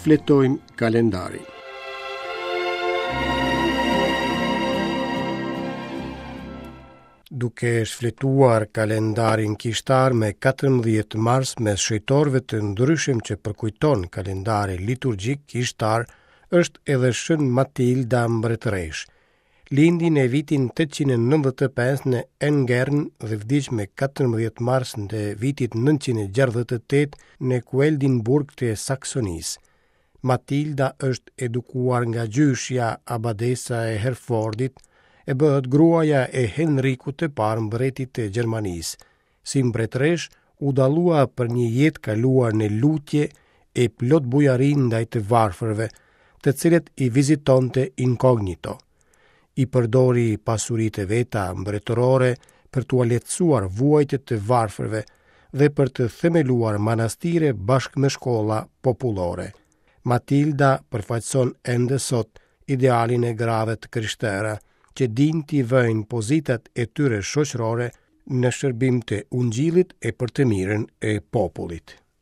Shfletojmë kalendarin. Duke shfletuar kalendarin kishtar me 14 mars mes shenjtorëve të ndryshëm që përkujton kalendari liturgjik kishtar është edhe Shën Matilda Mbretëreshë. Lindi në vitin 895 në Engern dhe vdiq me 14 mars të vitit 968 në Kueldinburg të Saksonisë. Matilda është edukuar nga gjyshja abadesa e Herfordit e bëhet gruaja e Henrikut të parë mbretit të Gjermanisë. Si mbretëreshë u dallua për një jetë kaluar në lutje e plot bujari ndaj të varfërve, të cilët i vizitonte inkognito. I përdori pasuritë e veta mbretërore për t'ua lehtësuar vuajtjet të varfërve dhe për të themeluar manastire bashkë me shkolla popullore. Matilda përfaqëson ende sot idealin e grave të krishtera, që dinë t'i vëjnë pozitat e tyre shoqërore në shërbim të ungjillit e për të mirën e popullit.